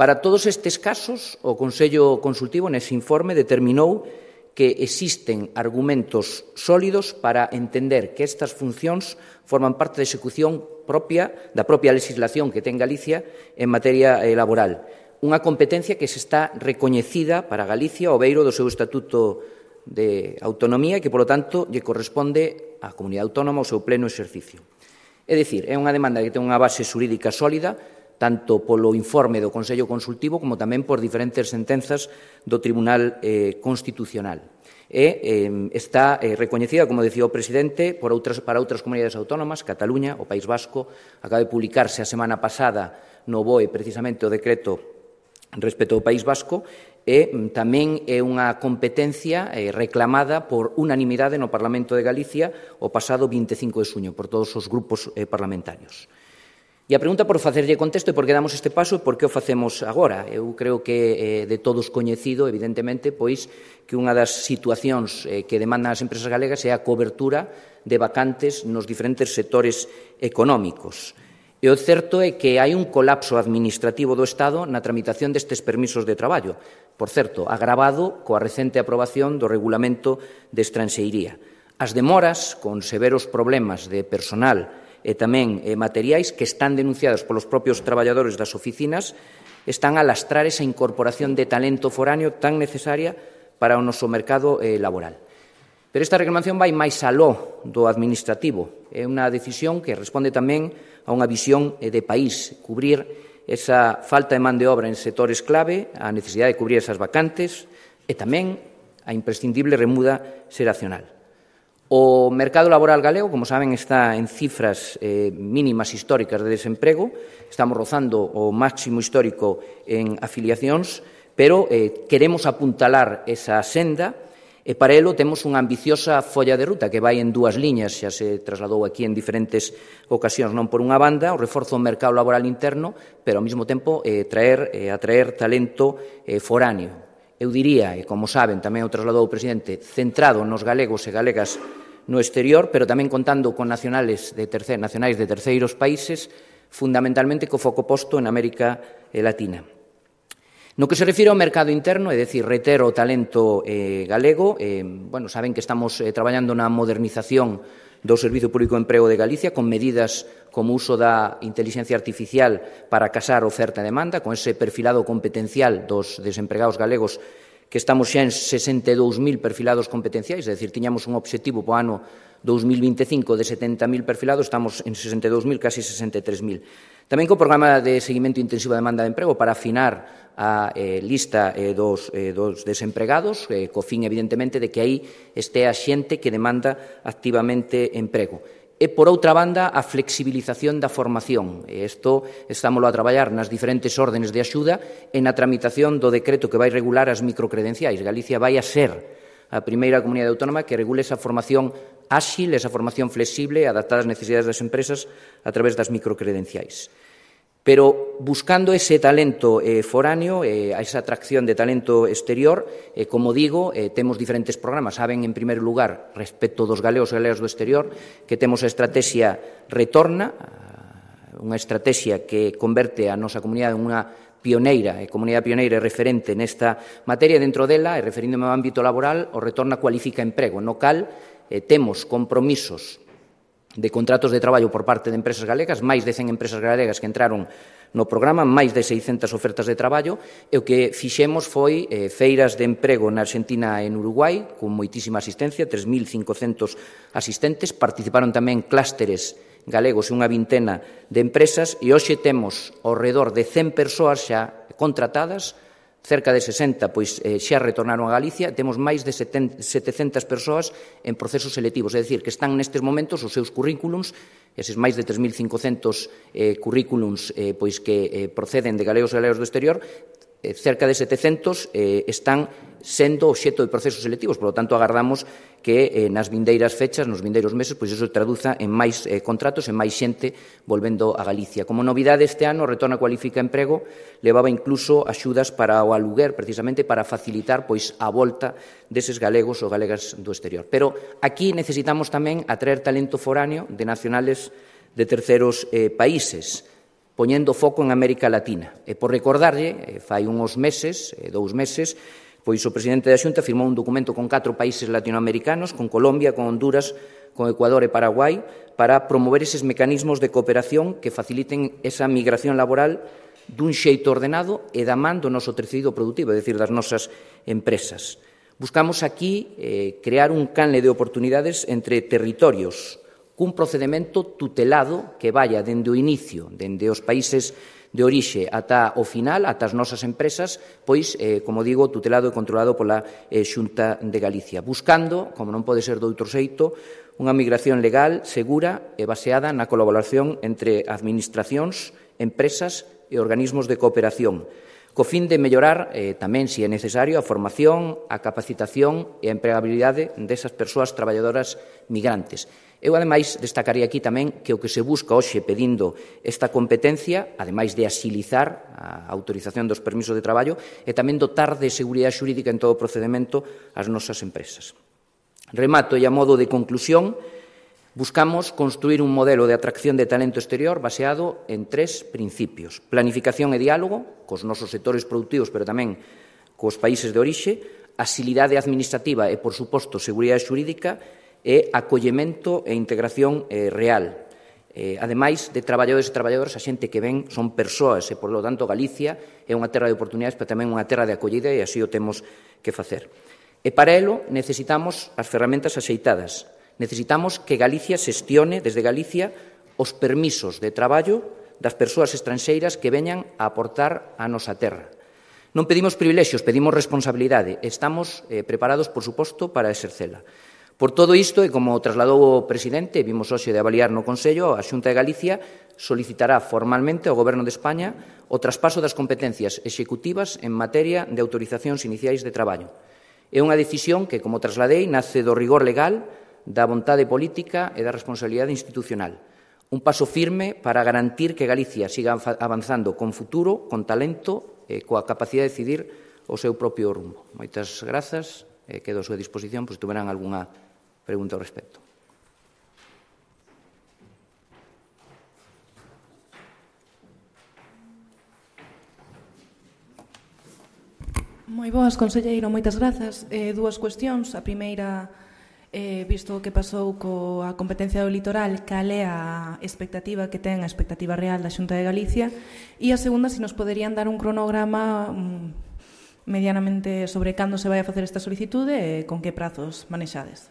Para todos estes casos, o Consello Consultivo nese informe determinou que existen argumentos sólidos para entender que estas funcións forman parte da execución propia da propia legislación que ten Galicia en materia eh, laboral. Unha competencia que se está recoñecida para Galicia ao beiro do seu Estatuto de Autonomía e que, polo tanto, lle corresponde á Comunidade Autónoma o seu pleno exercicio. É dicir, é unha demanda que ten unha base xurídica sólida, tanto polo informe do Consello Consultivo como tamén por diferentes sentenzas do Tribunal eh, Constitucional. E eh, está eh, recoñecida, como decía o presidente, por outras, para outras comunidades autónomas, Cataluña, o País Vasco. Acaba de publicarse a semana pasada no B O E precisamente o decreto respecto ao País Vasco, e tamén é unha competencia eh, reclamada por unanimidade no Parlamento de Galicia o pasado vinte e cinco de xuño por todos os grupos eh, parlamentarios. E a pregunta por facerlle contexto e por que damos este paso e por que o facemos agora. Eu creo que eh, de todos coñecido, evidentemente, pois que unha das situacións eh, que demandan as empresas galegas é a cobertura de vacantes nos diferentes sectores económicos. E o certo é que hai un colapso administrativo do Estado na tramitación destes permisos de traballo, por certo, agravado coa recente aprobación do Regulamento de Estranxeiría. As demoras, con severos problemas de personal e tamén eh, materiais que están denunciados polos propios traballadores das oficinas, están a lastrar esa incorporación de talento foráneo tan necesaria para o noso mercado eh, laboral. Pero esta reclamación vai máis aló do administrativo. É unha decisión que responde tamén a unha visión de país, cubrir esa falta de man de obra en sectores clave, a necesidade de cubrir esas vacantes e tamén a imprescindible remuda xeracional. O mercado laboral galego, como saben, está en cifras eh, mínimas históricas de desemprego. Estamos rozando o máximo histórico en afiliacións, pero eh, queremos apuntalar esa senda. E para elo temos unha ambiciosa folla de ruta que vai en dúas liñas, xa se trasladou aquí en diferentes ocasións, non por unha banda, o reforzo do mercado laboral interno, pero ao mesmo tempo eh, traer, eh, atraer talento eh, foráneo. Eu diría, e como saben, tamén o trasladou o presidente, centrado nos galegos e galegas no exterior, pero tamén contando con nacionales de terce, nacionais de terceiros países, fundamentalmente co foco posto en América Latina. No que se refire ao mercado interno, é dicir, reitero o talento eh, galego, eh, bueno, saben que estamos eh, traballando na modernización do Servizo Público de Emprego de Galicia con medidas como o uso da inteligencia artificial para casar oferta e demanda, con ese perfilado competencial dos desempregados galegos que estamos xa en sesenta e dous mil perfilados competenciais, é dicir, tiñamos un obxectivo para o ano dos mil vinte e cinco de setenta mil perfilados, estamos en sesenta e dous mil, casi sesenta e tres mil. Tamén co programa de seguimento intensivo da demanda de emprego para afinar a eh, lista eh, dos, eh, dos desempregados, eh, co fin, evidentemente, de que aí este a xente que demanda activamente emprego. E, por outra banda, a flexibilización da formación. E isto estámoslo a traballar nas diferentes órdenes de axuda e na tramitación do decreto que vai regular as microcredenciais. Galicia vai a ser a primeira comunidade autónoma que regule esa formación áxil, esa formación flexible, adaptada ás necesidades das empresas a través das microcredenciais. Pero buscando ese talento eh, foráneo, eh, esa atracción de talento exterior, eh, como digo, eh, temos diferentes programas. Saben, en primeiro lugar, respecto dos galegos e galegas do exterior, que temos a estrategia Retorna, unha estrategia que converte a nosa comunidade en unha pioneira, e comunidade pioneira e referente nesta materia. Dentro dela, e referíndome ao ámbito laboral, o Retorna cualifica emprego, no cal eh, temos compromisos de contratos de traballo por parte de empresas galegas, máis de cen empresas galegas que entraron no programa, máis de seiscentas ofertas de traballo, e o que fixemos foi eh, feiras de emprego na Argentina e en Uruguai, con moitísima asistencia, tres mil cincocentos asistentes, participaron tamén clústeres galegos e unha vintena de empresas, e hoxe temos ao redor de cen persoas xa contratadas, cerca de sesenta pois eh, xa retornaron a Galicia, temos máis de setecentas persoas en procesos selectivos, é dicir, que están nestes momentos os seus currículums, eses máis de tres mil cincocentos eh, currículums eh, pois que eh, proceden de galegos e galegas do exterior, eh, cerca de setecentos eh, están sendo obxecto de procesos selectivos, por lo tanto, agardamos que eh, nas vindeiras fechas, nos vindeiros meses, pois iso traduza en máis eh, contratos, en máis xente volvendo a Galicia. Como novidade este ano, Retorna Cualifica Emprego levaba incluso axudas para o aluguer, precisamente para facilitar pois a volta deses galegos ou galegas do exterior. Pero aquí necesitamos tamén atraer talento foráneo de nacionales de terceros eh, países, poñendo foco en América Latina. E por recordarlle, eh, fai uns meses, eh, dous meses, pois o presidente da Xunta firmou un documento con catro países latinoamericanos, con Colombia, con Honduras, con Ecuador e Paraguai, para promover eses mecanismos de cooperación que faciliten esa migración laboral dun xeito ordenado e da man do noso tecido productivo, é dicir, das nosas empresas. Buscamos aquí eh, crear un canle de oportunidades entre territorios, cun procedimento tutelado que vaya dende o inicio, dende os países de orixe ata o final, ata as nosas empresas, pois, eh, como digo, tutelado e controlado pola eh, Xunta de Galicia, buscando, como non pode ser doutro xeito, unha migración legal, segura e baseada na colaboración entre administracións, empresas e organismos de cooperación, co fin de mellorar, eh, tamén, se é necesario, a formación, a capacitación e a empregabilidade desas persoas traballadoras migrantes. Eu, ademais, destacaría aquí tamén que o que se busca hoxe pedindo esta competencia, ademais de axilizar a autorización dos permisos de traballo, é tamén dotar de seguridade xurídica en todo o procedimento as nosas empresas. Remato e a modo de conclusión, buscamos construir un modelo de atracción de talento exterior baseado en tres principios: planificación e diálogo cos nosos sectores productivos, pero tamén cos países de orixe, axilidade administrativa e, por suposto, seguridade xurídica, e acollemento e integración eh, real. Eh, ademais de traballadores e traballadoras, a xente que ven son persoas e, por lo tanto, Galicia é unha terra de oportunidades, pero tamén unha terra de acollida, e así o temos que facer. E para elo necesitamos as ferramentas axeitadas. Necesitamos que Galicia xestione desde Galicia os permisos de traballo das persoas estranxeiras que veñan a aportar a nosa terra. Non pedimos privilexios, pedimos responsabilidade. Estamos eh, preparados, por suposto, para exercela. Por todo isto, e como trasladou o presidente, vimos hoxe de avaliar no Consello, a Xunta de Galicia solicitará formalmente ao Goberno de España o traspaso das competencias executivas en materia de autorizacións iniciais de traballo. É unha decisión que, como trasladei, nace do rigor legal, da vontade política e da responsabilidade institucional. Un paso firme para garantir que Galicia siga avanzando con futuro, con talento e coa capacidade de decidir o seu propio rumbo. Moitas grazas. Eh, quedo a súa disposición, pois, tuveran algunha pregunta ao respecto. Moi boas, conselleiro, moitas grazas. Eh, dúas cuestións. A primeira, eh, visto o que pasou coa competencia do litoral, cal é a expectativa que ten, a expectativa real da Xunta de Galicia? E a segunda, se nos poderían dar un cronograma um, medianamente sobre cando se vai a facer esta solicitude e con que prazos manexades.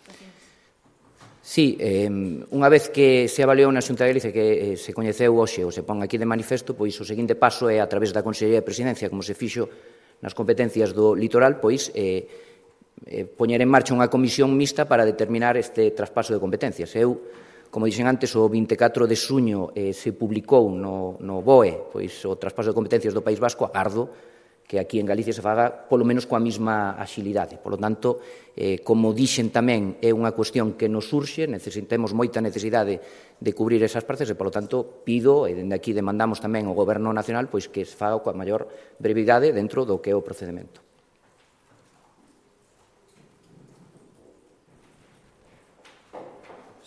Sí, eh, unha vez que se avaliou na Xunta de Galicia que eh, se coñeceu hoxe ou se pon aquí de manifesto, pois o seguinte paso é a través da Consellería de Presidencia, como se fixo nas competencias do litoral, pois eh, eh, poñer en marcha unha comisión mixta para determinar este traspaso de competencias. Eu, como dixen antes, o vinte e catro de xuño eh, se publicou no, no B O E pois, o traspaso de competencias do País Vasco, agardo que aquí en Galicia se faga polo menos coa mesma axilidade. Por lo tanto, eh, como dixen tamén, é unha cuestión que nos surxe, necesitemos moita necesidade de cubrir esas partes e, por lo tanto, pido, e dende aquí demandamos tamén ao Goberno Nacional, pois que se faga coa maior brevidade dentro do que é o procedimento.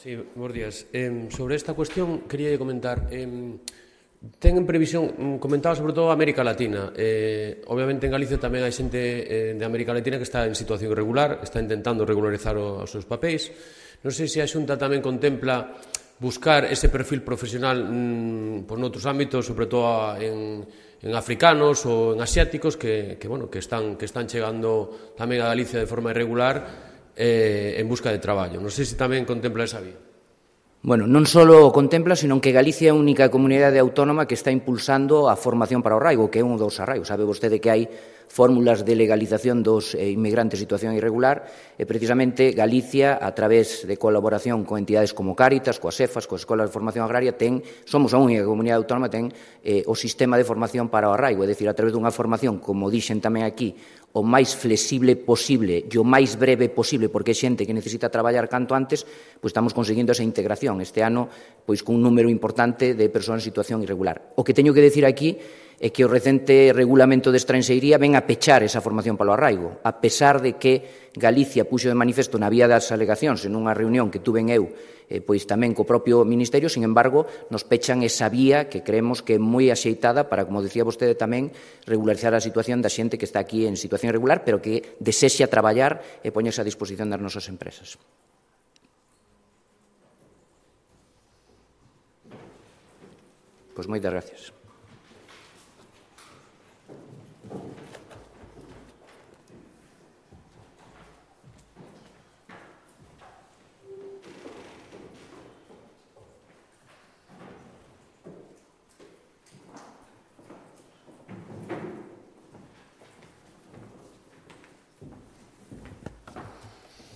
Sí, bons días. Eh, sobre esta cuestión, quería comentar... Eh, Ten en previsión, comentaba sobre todo América Latina. Eh, obviamente en Galicia tamén hai xente eh, de América Latina que está en situación irregular, está intentando regularizar o, os seus papéis. Non sei se a Xunta tamén contempla buscar ese perfil profesional mmm, por noutros ámbitos, sobre todo en, en africanos ou en asiáticos que, que, bueno, que, están, que están chegando tamén a Galicia de forma irregular eh, en busca de traballo. Non sei se tamén contempla esa vía. Bueno, non só o contempla, senón que Galicia é a única comunidade autónoma que está impulsando a formación para o arraigo, que é un dos arraigos. Sabe vostede que hai fórmulas de legalización dos eh, inmigrantes en situación irregular e precisamente Galicia, a través de colaboración con entidades como Cáritas, coas EFAS, coas Escolas de Formación Agraria, ten, somos a única comunidade autónoma ten eh, o sistema de formación para o arraigo, é dicir, a través dunha formación, como dixen tamén aquí, o máis flexible posible e o máis breve posible, porque é xente que necesita traballar canto antes, pois estamos conseguindo esa integración. Este ano, pois con un número importante de persoas en situación irregular. O que teño que decir aquí é que o recente regulamento de estranxeiría ven a pechar esa formación para o arraigo, a pesar de que Galicia puxo de manifesto na vía das alegacións en unha reunión que tuven eu, eh, pois tamén co propio Ministerio, sin embargo, nos pechan esa vía que creemos que é moi axeitada para, como decía vostede tamén, regularizar a situación da xente que está aquí en situación irregular, pero que desexa traballar e poñerse a disposición das nosas empresas. Pois moitas gracias.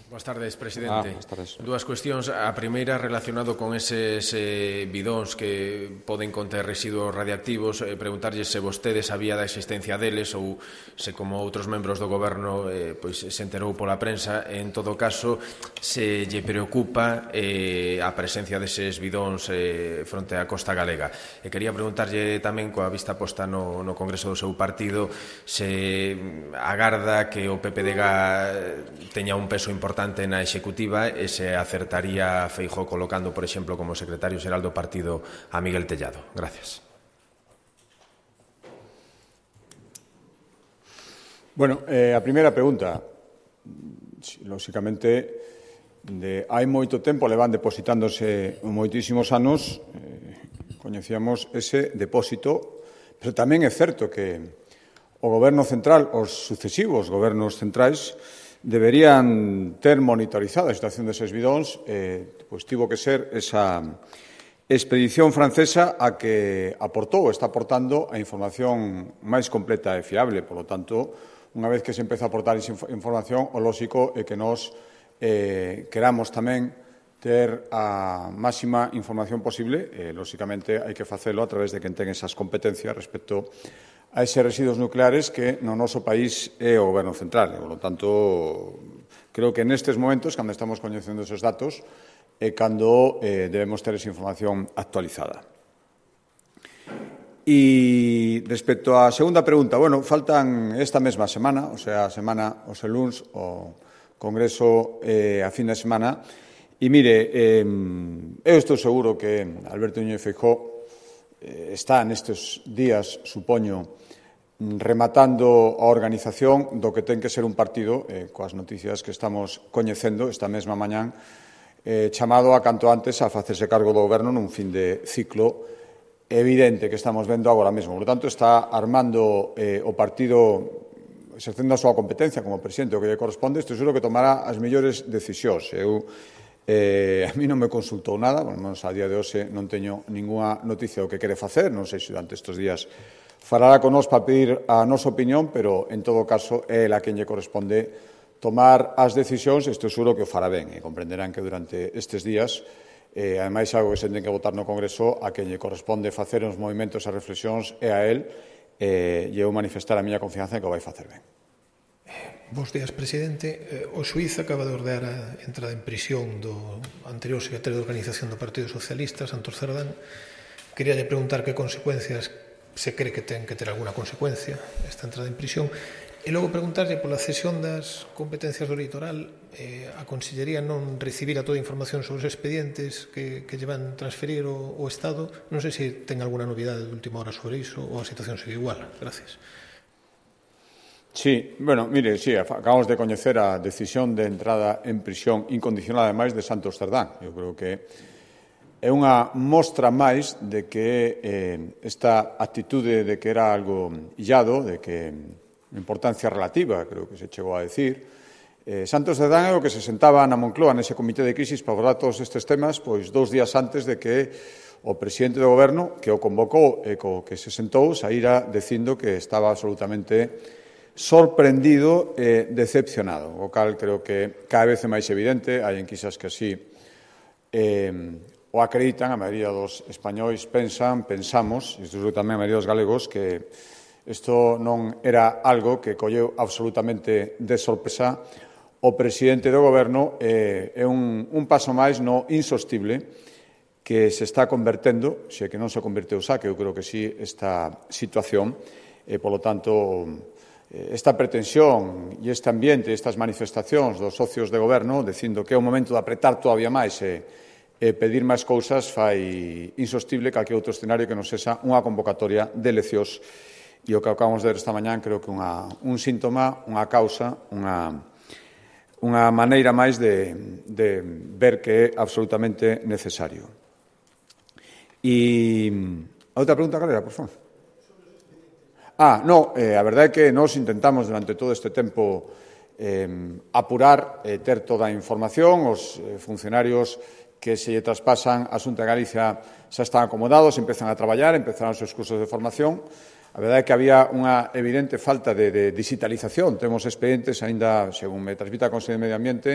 Boas tardes, presidente. Ah, boas tardes. Dúas cuestións. A primeira relacionado con eses eh, bidóns que poden conter residuos radiactivos. Eh, preguntarlle se vostede sabía da existencia deles ou se, como outros membros do Goberno, eh, pois se enterou pola prensa. En todo caso, se lle preocupa eh, a presencia deses bidóns eh, fronte á costa galega. E quería preguntarlle tamén, coa vista posta no, no Congreso do seu partido, se agarda que o P P D G teña un peso importante na executiva e se acertaría Feijóo colocando, por exemplo, como secretario xeral do partido a Miguel Tellado. Gracias. Bueno, eh, a primeira pregunta, lóxicamente, de hai moito tempo levan depositándose moitísimos anos, eh, coñecíamos ese depósito, pero tamén é certo que o Goberno central, os sucesivos gobernos centrais, deberían ter monitorizada a situación deses bidóns, eh, pois tivo que ser esa expedición francesa a que aportou, está aportando a información máis completa e fiable. Por lo tanto, unha vez que se empeza a aportar esa información, o lóxico é que nós eh, queramos tamén ter a máxima información posible. Eh, lóxicamente, hai que facelo a través de quen ten esas competencias respecto a eses residuos nucleares que no noso país é o Goberno central. Por lo tanto, creo que nestes momentos, cando estamos coñecendo esos datos, é cando eh, debemos ter esa información actualizada. E respecto á segunda pregunta, bueno, faltan esta mesma semana, o sea, a semana, o se luns, o Congreso eh, a fin de semana, e mire, eh, eu estou seguro que Alberto Núñez Feijóo está nestes días, supoño, rematando a organización do que ten que ser un partido, eh, coas noticias que estamos coñecendo esta mesma mañán, eh, chamado a canto antes a facerse cargo do goberno nun fin de ciclo evidente que estamos vendo agora mesmo. Por tanto, está armando eh, o partido, exercendo a súa competencia como presidente o que lle corresponde, estou seguro que tomará as mellores decisións. Eu, eh, a mí non me consultou nada, bueno, menos a día de hoxe non teño ninguna noticia do que quere facer, non sei se durante estes días falará con nós para pedir a nosa opinión, pero, en todo caso, é ela quen lle corresponde tomar as decisións, e estou seguro que o fará ben, e comprenderán que durante estes días, eh, ademais, algo que se ten que votar no Congreso, a quen lle corresponde facer os movimentos e reflexións é a él, e eu manifestar a miña confianza en que o vai facer ben. Bos días, presidente. O xuíz acaba de ordear a entrada en prisión do anterior secretario de Organización do Partido Socialista, Santos Cerdán. Quería lle preguntar que consecuencias se cree que ten que ter alguna consecuencia esta entrada en prisión. E logo preguntarlle pola cesión das competencias do litoral, eh, a Consellería non recibira toda a información sobre os expedientes que, que llevan transferir o, o Estado. Non sei se ten alguna novidade de última hora sobre iso ou a situación segue igual. Gracias. Sí, bueno, mire, sí, acabamos de coñecer a decisión de entrada en prisión incondicional, ademais, de Santos Cerdán. Eu creo que é unha mostra máis de que eh, esta actitude de que era algo illado, de que importancia relativa, creo que se chegou a decir, eh, Santos Cerdán é o que se sentaba na Moncloa nese comité de crisis para abordar todos estes temas, pois dous días antes de que o presidente do goberno, que o convocou e co que se sentou, saíra dicindo que estaba absolutamente sorprendido e decepcionado, o cal creo que cada vez é máis evidente, hai enquisas que así eh, o acreditan, a maioría dos españois pensan, pensamos, e isto tamén a maioría dos galegos, que isto non era algo que colleu absolutamente de sorpresa o presidente do goberno, eh, é un, un paso máis no insostible que se está convertendo, se que non se converteu xa, que eu creo que sí, esta situación, e, polo tanto, esta pretensión e este ambiente, estas manifestacións dos socios de goberno, dicindo que é o momento de apretar todavía máis e e pedir máis cousas fai insostible calquer outro escenario que non sexa unha convocatoria de eleccións. E o que acabamos de ver esta mañán creo que unha, un síntoma, unha causa, unha, unha maneira máis de, de ver que é absolutamente necesario. E a outra pregunta, cal era, por favor? Ah, no, eh, a verdade é que nós intentamos durante todo este tempo eh, apurar, eh, ter toda a información, os eh, funcionarios que se lle traspasan a Xunta de Galicia xa están acomodados, empezan a traballar, empezaron os seus cursos de formación. A verdade é que había unha evidente falta de, de digitalización. Temos expedientes, aínda, según me transmite a Consellería de Medio Ambiente,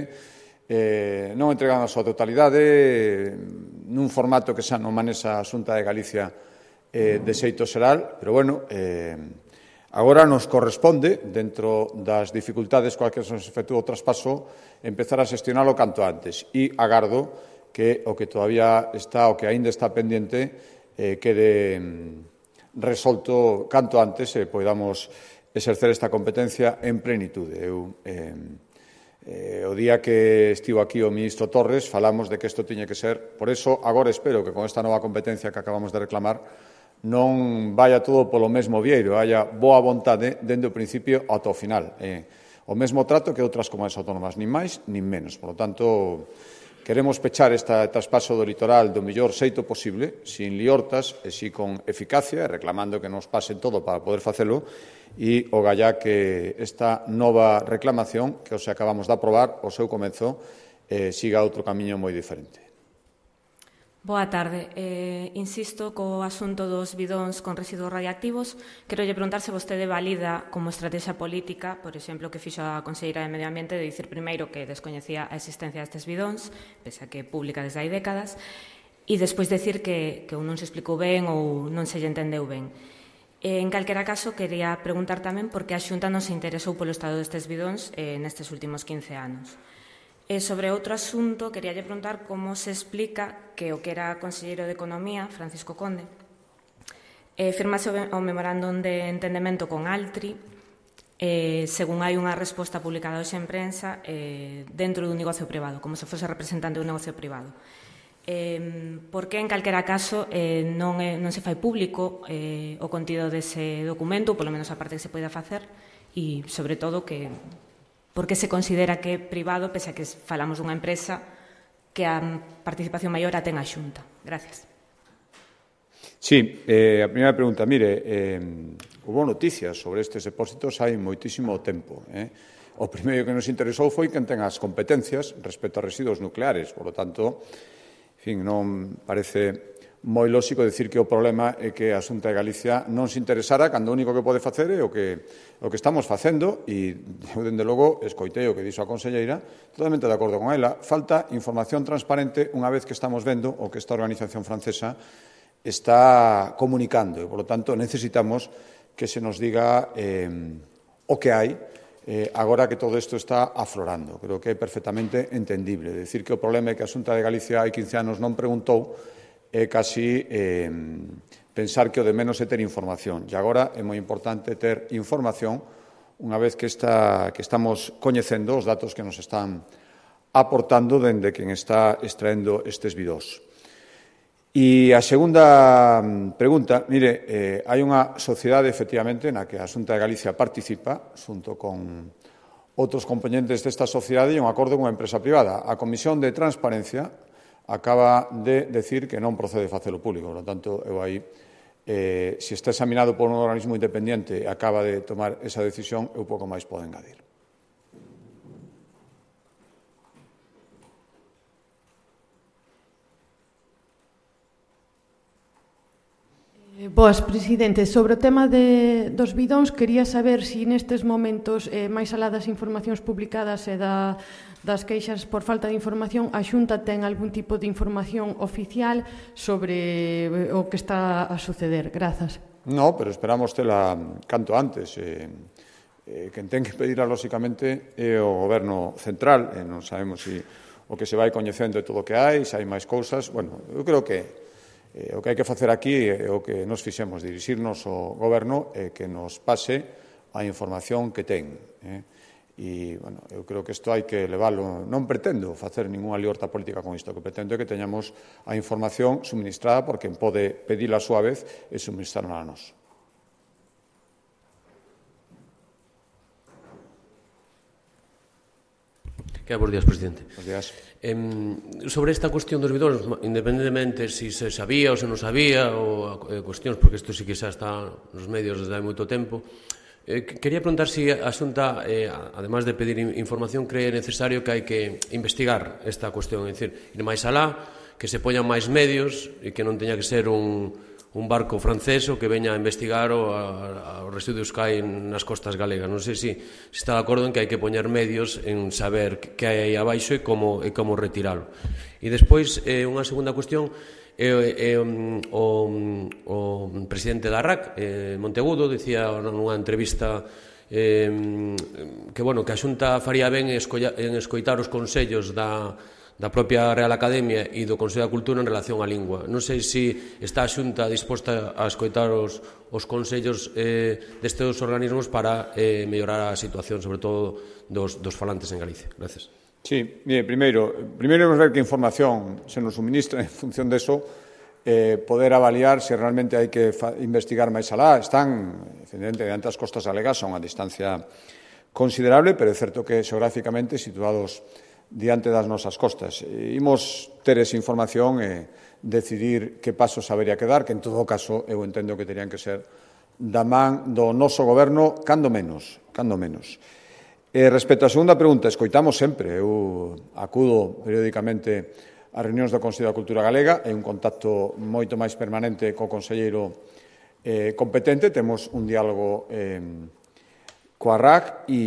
eh, non entregan a súa totalidade, nun formato que xa non manexa a Xunta de Galicia eh, de xeito xeral, pero, bueno, eh, agora nos corresponde, dentro das dificultades coas que se nos efectúa o traspaso, empezar a xestionalo canto antes. E agardo que o que todavía está, o que aínda está pendiente, eh, quede resolto canto antes e podamos exercer esta competencia en plenitude. Eu, eh, eh, o día que estivo aquí o ministro Torres falamos de que isto tiña que ser, por eso agora espero que con esta nova competencia que acabamos de reclamar non vaya todo polo mesmo vieiro, haya boa vontade dende o principio ata o final. Eh, o mesmo trato que outras comunidades autónomas, nin máis nin menos. Por lo tanto, queremos pechar este traspaso do litoral do mellor xeito posible, sin liortas e si con eficacia, reclamando que nos pasen todo para poder facelo, e o gallá que esta nova reclamación, que os acabamos de aprobar, o seu comezo, eh, siga outro camiño moi diferente. Boa tarde. Eh, insisto co asunto dos bidóns con residuos radiactivos. Quero lle preguntar se vostede valida como estrategia política, por exemplo, que fixo a Conselleira de Medio Ambiente de dicir primeiro que descoñecía a existencia destes bidóns, pese a que é pública desde hai décadas, e despois decir que, que ou non se explicou ben ou non se lle entendeu ben. En calquera caso, quería preguntar tamén por que a Xunta non se interesou polo estado destes bidóns eh, nestes últimos quince anos. E sobre outro asunto, quería lle preguntar como se explica que o que era conselleiro de Economía, Francisco Conde, eh, firmase o memorándum de entendemento con Altri, eh, según hai unha resposta publicada hoxe en prensa, eh, dentro dun negocio privado, como se fose representante dun negocio privado. Eh, por que, en calquera caso, eh, non, é, non se fai público eh, o contido dese documento, polo menos a parte que se poida facer, e, sobre todo, que por que se considera que é privado, pese a que falamos dunha empresa que a participación maior a ten a Xunta. Gracias. Sí, eh, a primeira pregunta, mire, eh, hubo noticias sobre estes depósitos hai moitísimo tempo. Eh? O primeiro que nos interesou foi quen ten as competencias respecto a residuos nucleares. Por lo tanto, en fin, non parece moi lóxico decir que o problema é que a Xunta de Galicia non se interesara cando o único que pode facer é o que, o que estamos facendo, e eu, dende logo, escoitei o que dixo a conselleira, totalmente de acordo con ela. Falta información transparente unha vez que estamos vendo o que esta organización francesa está comunicando, e, por lo tanto, necesitamos que se nos diga eh, o que hai eh, agora que todo isto está aflorando. Creo que é perfectamente entendible. Decir que o problema é que a Xunta de Galicia hai quince anos non preguntou é casi eh, pensar que o de menos é ter información. E agora é moi importante ter información unha vez que, está, que estamos coñecendo os datos que nos están aportando dende quen está extraendo estes bidós. E a segunda pregunta, mire, eh, hai unha sociedade, efectivamente, na que a Xunta de Galicia participa, xunto con outros componentes desta sociedade, e un acordo con unha empresa privada. A Comisión de Transparencia acaba de decir que non procede facelo público. Por lo tanto, eu aí, eh, se está examinado por un organismo independiente e acaba de tomar esa decisión, eu pouco máis podo engadir. Boas, presidente. Sobre o tema de, dos bidóns, quería saber se nestes momentos, eh, máis alá das informacións publicadas e da, das queixas por falta de información, a Xunta ten algún tipo de información oficial sobre o que está a suceder. Grazas. No, pero esperamos tela canto antes. Eh, eh, quen ten que pedirá, lóxicamente, é o Goberno central. Eh, non sabemos se o que se vai coñecendo de todo o que hai, se hai máis cousas. Bueno, eu creo que Eh, o que hai que facer aquí é o que nos fixemos, dirixirnos ao Goberno e que nos pase a información que ten. Eh? E, bueno, eu creo que isto hai que leválo. Non pretendo facer ninguna liorta política con isto, o que pretendo é que teñamos a información suministrada por quen pode pedila a súa vez e suministrarla a nós. Que bos días, presidente. Bos días. Eh, sobre esta cuestión dos bidóns, independentemente se si se sabía ou se non sabía, ou eh, cuestións, porque isto sí que xa está nos medios desde hai moito tempo, eh, quería preguntar se si a Xunta, eh, además de pedir información, cree necesario que hai que investigar esta cuestión, é dicir, ir máis alá, que se poñan máis medios e que non teña que ser un... un barco francés o que veña a investigar o a, a, os residuos que hai nas costas galegas. Non sei se, se está de acordo en que hai que poñer medios en saber que hai abaixo e como, e como retiralo. E despois, eh, unha segunda cuestión, eh, eh, o, o presidente da R A C, eh, Monteagudo, dicía nunha entrevista eh, que, bueno, que a Xunta faría ben en escoitar os consellos da da propia Real Academia e do Consello da Cultura en relación á lingua. Non sei se está a Xunta disposta a escoitar os, os consellos eh, destes organismos para eh, mellorar a situación, sobre todo dos, dos falantes en Galicia. Gracias. Sí, mire, primeiro, primeiro vamos ver que información se nos suministra en función de eso, eh, poder avaliar se realmente hai que investigar máis alá. Están, evidentemente, ante as costas galegas a unha distancia considerable, pero é certo que xeográficamente situados diante das nosas costas. Imos ter esa información e decidir que pasos habería que dar, que en todo caso eu entendo que terían que ser da man do noso goberno, cando menos, cando menos. E respecto á segunda pregunta, escoitamos sempre, eu acudo periódicamente a reunións do Consello da Cultura Galega, é un contacto moito máis permanente co conselleiro eh, competente, temos un diálogo eh, coa R A C e,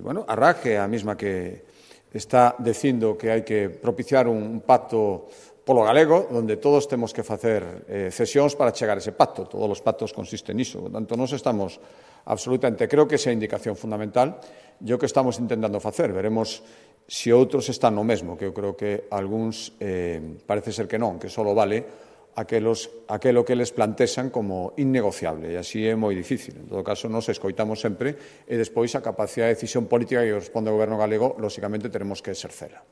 bueno, a R A C é a mesma que está dicindo que hai que propiciar un pacto polo galego, onde todos temos que facer eh, cesións para chegar a ese pacto. Todos os pactos consisten niso. Por tanto, nos estamos absolutamente, creo que esa é a indicación fundamental, e o que estamos intentando facer. Veremos se outros están no mesmo, que eu creo que algúns eh, parece ser que non, que só vale aquelos, aquelo que les plantexan como innegociable, e así é moi difícil. En todo caso, nos escoitamos sempre e despois a capacidade de decisión política que corresponde ao Goberno galego, lóxicamente, teremos que exercela.